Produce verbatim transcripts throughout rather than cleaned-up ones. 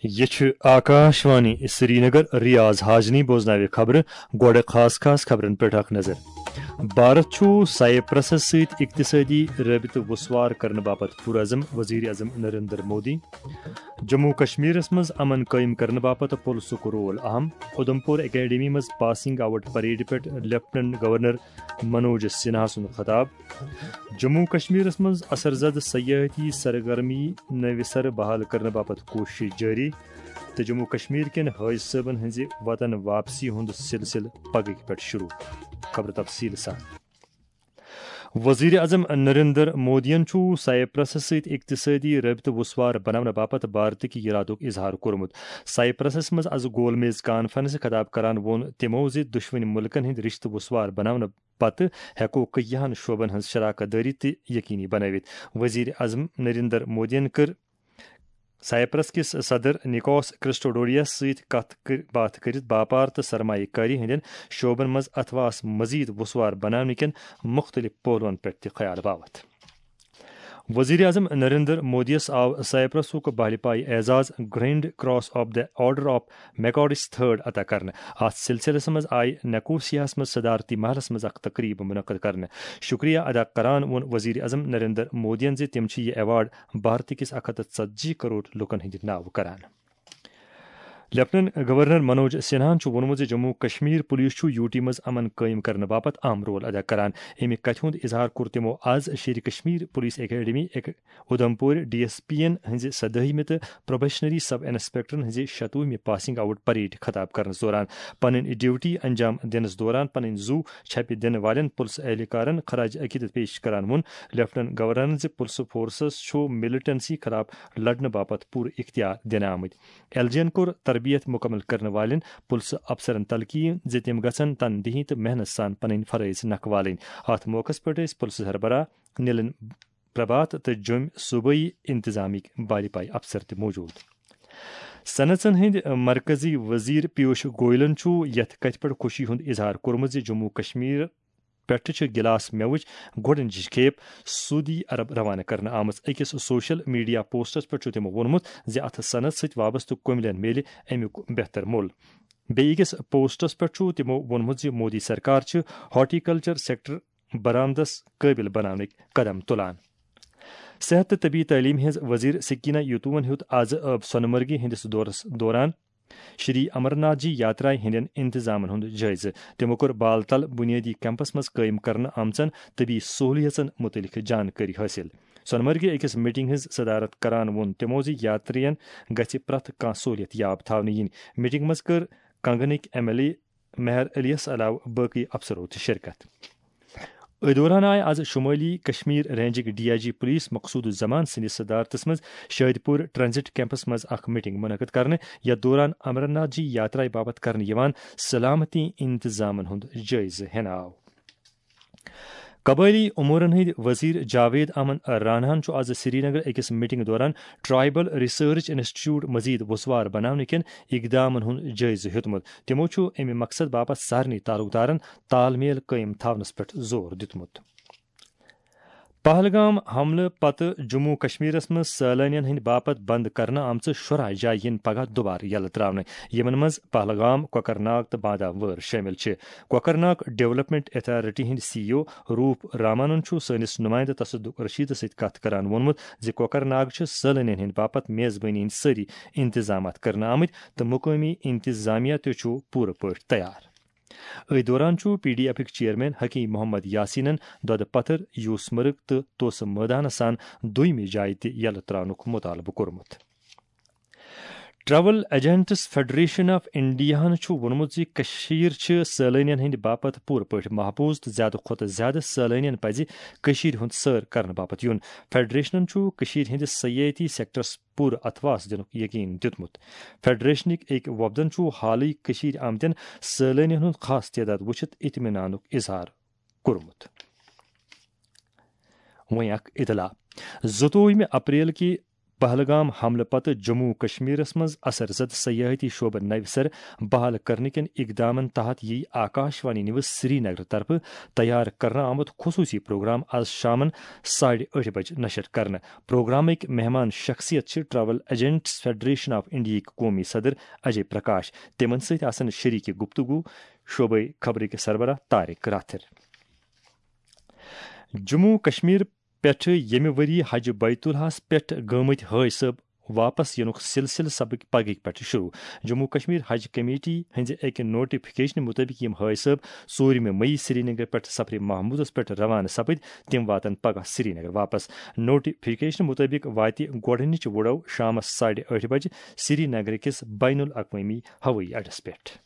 یہِ چھُ آکاش وانی سرینگر۔ ریاض حاجنی بوزناوِ خبرٕ۔ گۄڈٕ خاص خاص خبرن پٮ۪ٹھ اکھ نظر۔ بھارت چھُ سائپرسس سۭتۍ اقتصٲدی رٲبطہٕ وُسوار کرنہٕ باپتھ پُرعزم، وزیر اعظم نریندر مودی۔ جموں کشمیرس منٛز امن قٲیِم کرنہٕ باپتھ پُلسُک رول اہم۔ اُدھمپور اکیڈمی منٛز پاسنگ آؤٹ پریڈ پٮ۪ٹھ لیفٹیننٹ گورنر منوج سنہا سُنٛد خطاب۔ جموں کشمیرس منٛز اثر زد سیاحتی سرگرمی نوِ سرٕ بحال کرنہٕ باپتھ کوٗشش جٲری، تہٕ جموں کشمیر کٮ۪ن حٲج صٲبن ہٕنٛزِ وطن واپسی ہُنٛد سلسلہٕ پگہٕکۍ پٮ۪ٹھ شروع۔ خبر تفصیل سان۔ وزیر اعظم نریندر مودیَن چھُ سائپرسس سۭتۍ اقتصٲدی رٲبطہٕ وُسوار بناونہٕ باپتھ بھارتٕکۍ ارادُک اظہار کوٚرمُت۔ سائپرسس منٛز از گول میز کانفرنس خطاب کران ووٚن تِمو زِ دۄشوٕنی مُلکن ہٕنٛدۍ رشتہٕ وُسوار بناونہٕ پتہٕ ہٮ۪کو کٔہیاہن شعبن ہٕنٛز شراکت دٲری تہِ یقینی بنٲوِتھ۔ وزیر اعظم نریندر مودیَن کٔر سائپرس کِس صدر نکوس کرسٹوڈوڈیس سۭتۍ کتھ کر-، باتھ کٔرِتھ باپار تہٕ سرمایہ کٲری ہٕنٛدٮ۪ن شعبن منٛز اتھواہس مزید وُسوار بناونہٕ کٮ۪ن مُختٔلِف پہلوَن پٮ۪ٹھ تہِ خیال باوتھ۔ وزیر اعظم نریندر مودیَس آو سائپرسُک بالپایہِ اعزاز، grand cross of the order of Makarios third, عطا کرنہٕ۔ اتھ سلسلس منٛز آیہِ نکوسیاہس منٛز صدارتی محلس منٛز اکھ تقریب منعقد کرنہٕ۔ شکریہ ادا کران ووٚن وزیر اعظم نریندر مودیَن زِ تِم چھِ یہِ ایوارڈ بھارت کِس اکھ ہتھ تہٕ ژتجی کرور لوٗکن ہٕنٛدِ ناوٕ کران۔ لیفٹیننٹ گورنر منوج سنہاہن چھُ ووٚنمُت زِ جموں کشمیر پولیس چھُ یوٗ ٹی منٛز امن قٲیِم کرنہٕ باپتھ اہم رول ادا کران۔ اَمہِ کتھِ ہُنٛد اظہار کوٚر تِمو آز شیرِ کشمیر پولیس اکیڈمی اک-، اُدھمپور ڈی ایس پی ین ہٕنٛزِ سدٲہمہِ تہٕ پروبیشنری سب انسپیکٹرن ہٕنٛزِ شتوُہمہِ پاسنگ آؤٹ پریڈ خطاب کرنس دوران۔ پنٕنۍ ڈیوٹی انجام دِنس دوران پنٕنۍ زُو چھپہِ دِنہٕ والٮ۪ن پُلسہٕ اہلکارن خراج عقیدت پیش کران ووٚن لیفٹیننٹ گورنرن زِ پُلسہٕ فورسس چھُ ملیٹنسی خلاف لڑنہٕ باپتھ پوٗرٕ اختیار دِنہٕ آمٕتۍ۔ ایل جی ین کوٚر تربیت مکمل کرن والٮ۪ن پُلسہٕ افسرن تلقین زِ تِم گژھن تندہی تہٕ محنت سان پنٕنۍ فرٲیض نکھٕ والٕنۍ۔ اتھ موقعس پٮ۪ٹھ ٲسۍ پُلسہٕ سربراہ نیلن پربھات تہٕ جوٚمۍ صوبٲئی انتظامیہٕکۍ بالپایہِ افسر تہِ موجود۔ صنعژن ہٕنٛدۍ مرکزی وزیر پیوش گوئلن چھُ یتھ کتھِ پٮ۪ٹھ خوشی ہُنٛد اظہار کوٚرمُت زِ جموں کشمیر پٮ۪ٹھٕ چھِ گلاس مٮ۪وٕچ گۄڈٕنِچ کھیپ سعودی عرب روانہٕ کرنہٕ آمٕژ۔ أکِس سوشل میڈیا پوسٹس پٮ۪ٹھ چھُ تِمو ووٚنمُت زِ اتھ صنعت سۭتۍ وابستہٕ کُملٮ۪ن میلہِ امیُک بہتر مۄل۔ بیٚیہِ أکِس پوسٹس پٮ۪ٹھ چھُ تِمو ووٚنمُت زِ مودی سرکار چھِ ہارٹیکلچر سیکٹر برآمدس قٲبل بناونٕکۍ قدم تُلان۔ صحت تہٕ طبی تعلیٖم ہٕنٛز وزیر سکینہ یتومن ہیوٚت آز سۄنہٕ مرگہِ ہٕنٛدِس دورس دوران شری امرناتھ جی یاترایہِ ہٕنٛدٮ۪ن انتظامن ہُنٛد جٲیزٕ۔ تِمو کوٚر بال تل بنیٲدی کیمپس منٛز قٲیِم کرنہٕ آمژن طبی سہولیژن مُتعلق جانکٲری حٲصِل۔ سۄنہٕ مرگہِ أکِس میٹنگ ہٕنٛز صدارت کران ووٚن تِمو زِ یاترین گژھِ پرٛٮ۪تھ کانٛہہ سہولیت یاب تھاونہٕ یِنۍ۔ میٹنگ منٛز کٔر کنگنٕکۍ ایم ایل اے مہر علیس علاوٕ باقٕے افسرو تہِ شرکت۔ أتھۍ دوران آیہِ از شمٲلی کشمیر رینجٕکۍ D I G police Maqsood ul Zaman سٕنٛدِس صدارتس منٛز شاہد پور ٹرانزٹ کیمپس منٛز اکھ میٹنگ منعقد کرنہٕ، یتھ دوران امرناتھ جی یاترایہِ باپتھ کرنہٕ یِوان سلامتی انتظامن ہُنٛد جٲیزٕ ہٮ۪نہٕ آو۔ قبٲئلی امورن ہٕنٛدۍ وزیر جاوید احمد راناہن چھُ از سرینگر أکِس میٹنگ دوران ٹرائبل ریسرچ انسٹیٹیوٹ مزید وسوار بناونہٕ کٮ۪ن اقدامن ہُنٛد جٲیزٕ ہیوٚتمُت۔ تِمو چھُ اَمہِ مقصد باپتھ سارنٕے تعلقدارن تال میل قٲیِم تھاونس پٮ۪ٹھ زور دیُتمُت۔ پہلگام حملہٕ پتہٕ جموں کشمیرس منٛز سٲلٲنین ہٕنٛدِ باپتھ بند کرنہٕ آمژٕ شُراہ جایہِ یِن پگاہ دوبارٕ یلہٕ تراونہٕ، یِمن منٛز پہلگام، کۄکرناگ تہٕ بادام وٲر شٲمِل چھِ۔ کۄکرناگ ڈیولپمنٹ اتھارٹی ہٕنٛدۍ سی ای او روپ رامانن چھُ سٲنِس نمائندٕ تصدق رشیدس سۭتۍ کتھ کران ووٚنمُت زِ کۄکرناگ چھِ سٲلٲنین ہٕنٛدِ باپتھ میزبٲنی ہٕنٛدۍ سٲری انتظامات کرنہٕ آمٕتۍ تہٕ مقٲمی انتظامیہ تہِ چھُ پوٗرٕ پٲٹھۍ تیار۔ أتھۍ دوران چھُ P D ایفٕکۍ chairman Hakim Muhammad یاسینن دۄدٕ پتھر، یوسمرگ تہٕ توسہٕ مٲدانس سان دویمہِ جایہِ تہِ یلہٕ تراونُک مطالبہٕ کوٚرمُت۔ ٹریول ایجنٹس فیڈریشن آف انڈیاہن چھُ ووٚنمُت زِ کٔشیٖر چھِ سٲلٲنین ہٕنٛدِ باپتھ پوٗرٕ پٲٹھۍ محفوٗظ تہٕ زیادٕ کھۄتہٕ زیادٕ سٲلٲنین پزِ کٔشیٖرِ ہُنٛد سٲر کرنہٕ باپتھ یُن۔ فیڈریشنن چھُ کٔشیٖرِ ہٕنٛدِس سیاحتی سیکٹرس پوٗرٕ اتھواس دِنُک یقین دیُتمُت۔ فیڈریشنٕکۍ أکۍ وفدن چھُ حالٕے کٔشیٖرِ آمتٮ۪ن سٲلٲنین ہُنٛد خاص تعداد وُچھِتھ اطمینانُک اظہار کوٚرمُت۔ وۄنۍ اکھ اطلاع۔ زٕتووُہمہِ اپریل کہِ پہلگام حملہٕ پتہٕ جموں و کشمیرس منٛز اثر زد سیاحتی شعبہٕ نوِ سرٕ بحال کرنہٕ کٮ۪ن اقدامن تحت یِیہِ آکاش وانی نیوز سرینگر طرفہٕ تیار کرنہٕ آمُت خصوٗصی پروگرام آز شامن ساڑِ ٲٹھِ بجہِ نشر کرنہٕ۔ پروگرامٕکۍ مہمان شخصیت چھِ ٹریول ایجنٹس فیڈریشن آف انڈیاہٕکۍ قومی صدر اجے پرکاش۔ تِمن سۭتۍ آسن شریٖک گفتگو شعبے خبرٕکۍ سربراہ طارق راتھر۔ جموں و کشمیر پٮ۪ٹھٕ ییٚمہِ ؤری حج بیت الحس پٮ۪ٹھ گٲمٕتۍ حٲج صٲب واپس یِنُک سلسلہٕ سبق پگہٕکۍ پٮ۪ٹھٕ شروع۔ جموں و کشمیر حج کمیٹی ہٕنٛزِ أکہِ نوٹیفکیشنہٕ مُطٲبِق یِم حٲج صٲب ژوٗرمہِ مئی سرینگر پٮ۪ٹھ سفرِ محمودس پٮ۪ٹھ روانہٕ سپٕدۍ، تِم واتن پگاہ سرینگر واپس۔ نوٹیفکیشنہٕ مُطٲبِق واتہِ گۄڈٕنِچ وُڈو شامس ساڑِ ٲٹھِ بجہِ سرینگر کِس بین الاقوٲمی ہوٲیی اڈس پٮ۪ٹھ۔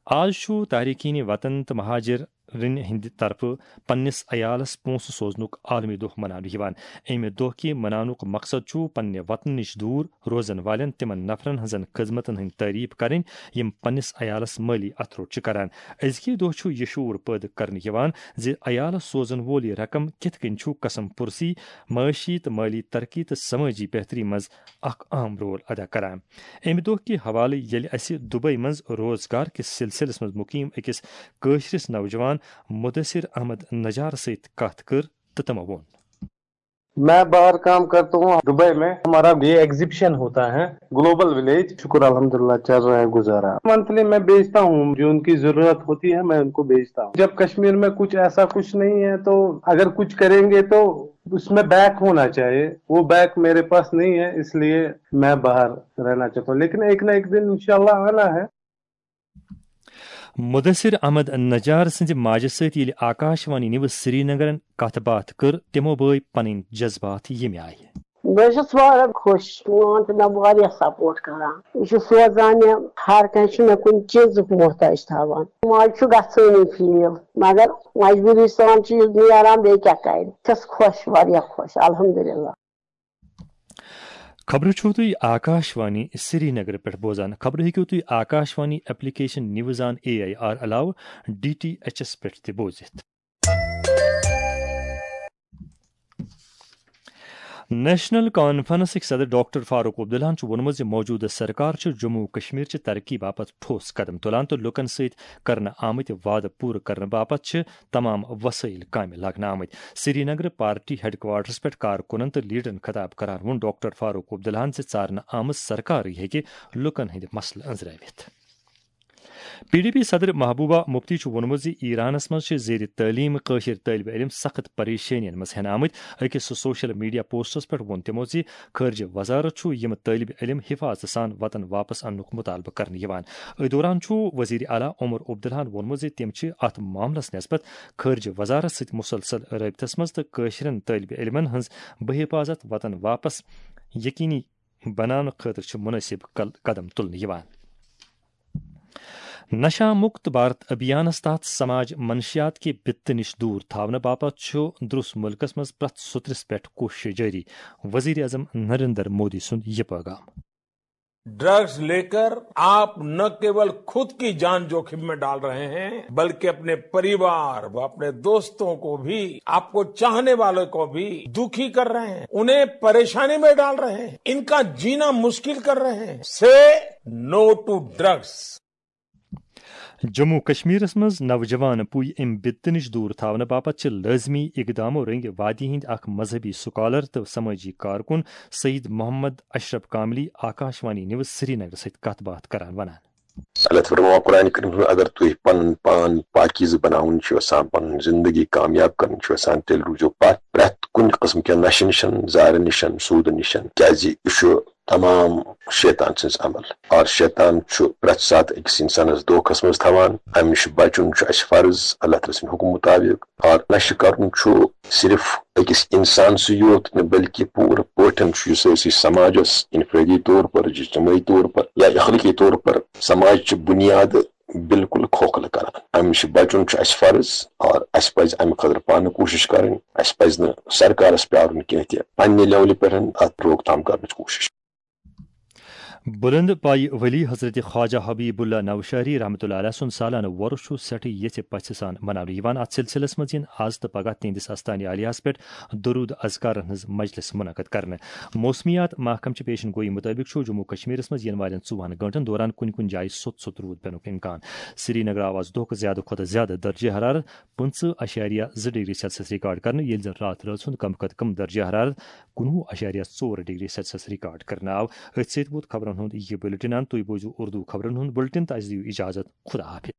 آز چھُ تارکین وطن تہٕ مہاجرن ہٕنٛدِ طرفہٕ پننِس عیالس پونٛسہٕ سوزنُک عالمی دۄہ مناونہٕ یِوان۔ اَمہِ دۄہ کہِ مناونُک مقصد چھُ پننہِ وطنہٕ نِش دوٗر روزن والٮ۪ن تِمن نفرن ہٕنٛزن خدمتن ہٕنٛدۍ تعریف کرٕنۍ، یِم پننِس عیالس مٲلی اتھٕ روٚٹ چھِ کران۔ أزکہِ دۄہ چھُ یہِ شعور پٲدٕ کرنہٕ یِوان زِ عیالس سوزن وول یہِ رقم کِتھ کٔنۍ چھُ قسم پُرسی، معاشی تہٕ مٲلی ترقی تہٕ سمٲجی بہتری منٛز اکھ اہم رول ادا کران۔ اَمہِ دۄہ کہِ حوالہٕ ییٚلہِ اَسہِ دُبے منٛز روزگار کِس سلسلس منٛز مُقیم أکِس کٲشرِس نوجوان مدثر احمد نجار سۭتۍ کتھ کٔر تہٕ تٔمۍ ووٚن۔ میں باہر کام کرتا ہوں دبئی میں، ہمارا یہ ایگزیبیشن ہوتا ہے گلوبل ولیج۔ شکر الحمدللہ چل رہا ہے گزارا۔ منتھلی میں بیچتا ہوں، جو ان کی ضرورت ہوتی ہے میں ان کو بیچتا ہوں۔ جب کشمیر میں کچھ ایسا کچھ نہیں ہے تو اگر کچھ کریں گے تو اس میں بیک ہونا چاہیے، وہ بیک میرے پاس نہیں ہے، اس لیے میں باہر رہنا چاہتا ہوں، لیکن ایک نہ ایک دن انشاءاللہ آنا ہے۔ مدثر احمد نجار سٕنٛزِ ماجہِ سۭتۍ ییٚلہِ آکاش وانی نیوز سرینگرن کتھ باتھ کٔر، تِمو بٲوۍ پنٕنۍ جذبات ییٚمہِ آیہِ۔ بہٕ حظ چھَس واریاہ خۄش، میون تہٕ مےٚ واریاہ سپورٹ کران۔ یہِ چھُ سوزان مےٚ، ہر کانٛہہ چھُ مےٚ کُنہِ چیٖزُک محتاج تھاوان۔ ماجہِ چھُ گژھٲنی فیٖل، مگر مجبوٗری سان چھُ یہِ نیران، بیٚیہِ کیٛاہ کرِ۔ چھَس خۄش، واریاہ خۄش، الحمدللہ۔ خبرٕ چھِو تُہۍ آکاش وانی سرینگرٕ پٮ۪ٹھ بوزان۔ خبرٕ ہیٚکِو تُہۍ Akashvani application news on A I R علاوٕ ڈی ٹی ایچ ایس پٮ۪ٹھ تہِ بوٗزِتھ۔ نیشنل کانفرنسٕکۍ صدر ڈاکٹر فاروق عبداللہن چھُ ووٚنمُت زِ موجودٕ سرکار چھِ جموں و کشمیر چہِ ترقی باپتھ ٹھوس قدم تُلان تہٕ لوٗکن سۭتۍ کرنہٕ آمٕتۍ وعدٕ پوٗرٕ کرنہٕ باپتھ چھِ تمام وسٲیل کامہِ لاگنہٕ آمٕتۍ۔ سرینگرٕ پارٹی ہیڈ کوارٹرس پٮ۪ٹھ کارکُنن تہٕ لیڈرن خطاب کران ووٚن ڈاکٹر فاروق عبداللہن زِ ژارنہٕ آمٕژ سرکارٕے ہیٚکہِ لوٗکن ہٕنٛدۍ مسلہٕ أنٛزراوِتھ۔ پی ڈی پی صدر محبوبہ مفتی چھُ ووٚنمُت زِ ایرانس منٛز چھِ زیر تعلیٖم کٲشِر طٲلبہِ علم سخت پریشٲنین منٛز ہٮ۪نہٕ آمٕتۍ۔ أکِس سوشل میڈیا پوسٹس پٮ۪ٹھ ووٚن تِمو زِ خارجہ وزارت چھُ یِم طٲلبہِ علم حفاظتہٕ سان وطن واپس اننُک مطالبہٕ کرنہٕ یِوان۔ أتھۍ دوران چھُ وزیر اعلیٰ عمر عبداللہن ووٚنمُت زِ تِم چھِ اتھ معاملس نسبت خارجہ وزارت سۭتۍ مسلسل رٲبطس منٛز تہٕ کٲشرٮ۪ن طٲلبہِ علمن ہٕنٛز بحفاظت وطن واپس یقینی بناونہٕ خٲطرٕ چھِ مناسب قل-، قدم تُلنہٕ یِوان۔ نشہ مکت بھارت ابھیانس تحت سماج منشیات کہِ بِتہٕ نِش دوٗر تھاونہٕ باپتھ چھُ درُس مُلکس منٛز پرٛٮ۪تھ سوٚترِس پٮ۪ٹھ کوٗشش جٲری۔ وزیر اعظم نریندر مودی سُنٛد یہِ پیغام۔ ड्रग्स लेकर आप न केवल खुद की जान जोखिम में डाल रहे हैं, बल्कि अपने परिवार व अपने दोस्तों को भी, आपको चाहने वालों को भी दुखी कर रहे हैं, उन्हें परेशानी में डाल रहे हैं, इनका जीना मुश्किल कर रहे हैं। से नो टू ड्रग्स। جموں و کشمیرس منٛز نوجوان پُے امہِ بِتہٕ نِش دوٗر تھاونہٕ باپتھ چھِ لٲزمی اقدامو رٔنٛگۍ وادی ہٕنٛدۍ اکھ مذہبی سکالر تہٕ سمٲجی کارکُن سعید محمد اشرف کاملی آکاش وانی نیوز سرینگر سۭتۍ کتھ باتھ کران ونان۔ اللہ تعالیٰ فرماوان قرآن کریم منٛز، اگر تُہۍ پنُن پان پاکیزٕ بناوُن چھِو یژھان، پنٕنۍ زندگی کامیاب کرٕنۍ چھِو یژھان، تیٚلہِ روٗزِو پتھ پرٛٮ۪تھ کُنہِ قٕسمہٕ کٮ۪ن نشہٕ نِشن، زہرٕ نِشن، سوٗدٕ نِشن، کیازِ یہِ چھُ تمام شیطان سٕنٛز عمل۔ اور شیطان چھُ پرٛٮ۪تھ ساتہٕ أکِس اِنسانَس دھوکھَس منٛز تھاوان۔ اَمہِ نِش بَچُن چھُ اَسہِ فرض اللہ تعالیٰ سٕنٛدِ حُکمہٕ مُطابِق۔ اور نشہٕ کَرُن چھُ صرف أکِس اِنسان سٕے یوت نہٕ، بلکہِ پوٗرٕ پٲٹھۍ چھُ یہِ سٲرسٕے سماجَس انفرٲدی طور پر، اجتمٲعی طور پر یا اخلٲقی طور پر سماج چہِ بُنیادٕ بالکل کھوکھلہٕ کران۔ اَمہِ نِش بَچُن چھُ اَسہِ فرض، اور اَسہِ پَزِ اَمہِ خٲطرٕ پانہٕ کوٗشِش کَرٕنۍ۔ اَسہِ پَزِ نہٕ سرکارَس پیارُن کینٛہہ تہِ، پننہِ لیولہِ پٮ۪ٹھ اَتھ روک تھام کرنٕچ کوٗشِش۔ بلند پایہِ ولی حضرت خواجہ حبیب اللہ نوشہری رحمۃ اللہ علیہ سُنٛد سالانہٕ وۄرُس چھُ سٮ۪ٹھٕے یژھِ پژھِ سان مناونہٕ یِوان۔ اتھ سلسلس منٛز یِن از تہٕ پگاہ تِہنٛدِس استانہِ عالیہس پٮ۪ٹھ درود اذکارن ہٕنٛز مجلس منعقد کرنہٕ۔ موسمیات محکمہٕ چہِ پیشن گویی مُطٲبِق چھُ جموں کشمیرس منٛز یِنہٕ والٮ۪ن ژوٚوُہن گٲنٛٹن دوران کُنہِ کُنہِ جایہِ سوٚت سوٚت روٗد پٮ۪نُک امکان۔ سرینگر آو از دۄہُک زیادٕ کھۄتہٕ زیادٕ درجہ حرارت پٕنٛژٕہ اَشاریہ زٕ ڈگری سیلسیس ریکارڈ کرنہٕ، ییٚلہِ زن راتھ رٲژ ہُنٛد کم کھۄتہٕ کم درجہ حرارت کُنوُہ اَشاریہ ژور ڈگری سیلسیس ریکارڈ کرنہٕ آو۔ أتھۍ سۭتۍ ووت خبرن ہُنٛد یہِ بُلٹن اند۔ تُہۍ بوٗزِو اردو خبرن ہُنٛد بُلٹن تہٕ اَسہِ دِیِو اجازت۔ خدا حافظ۔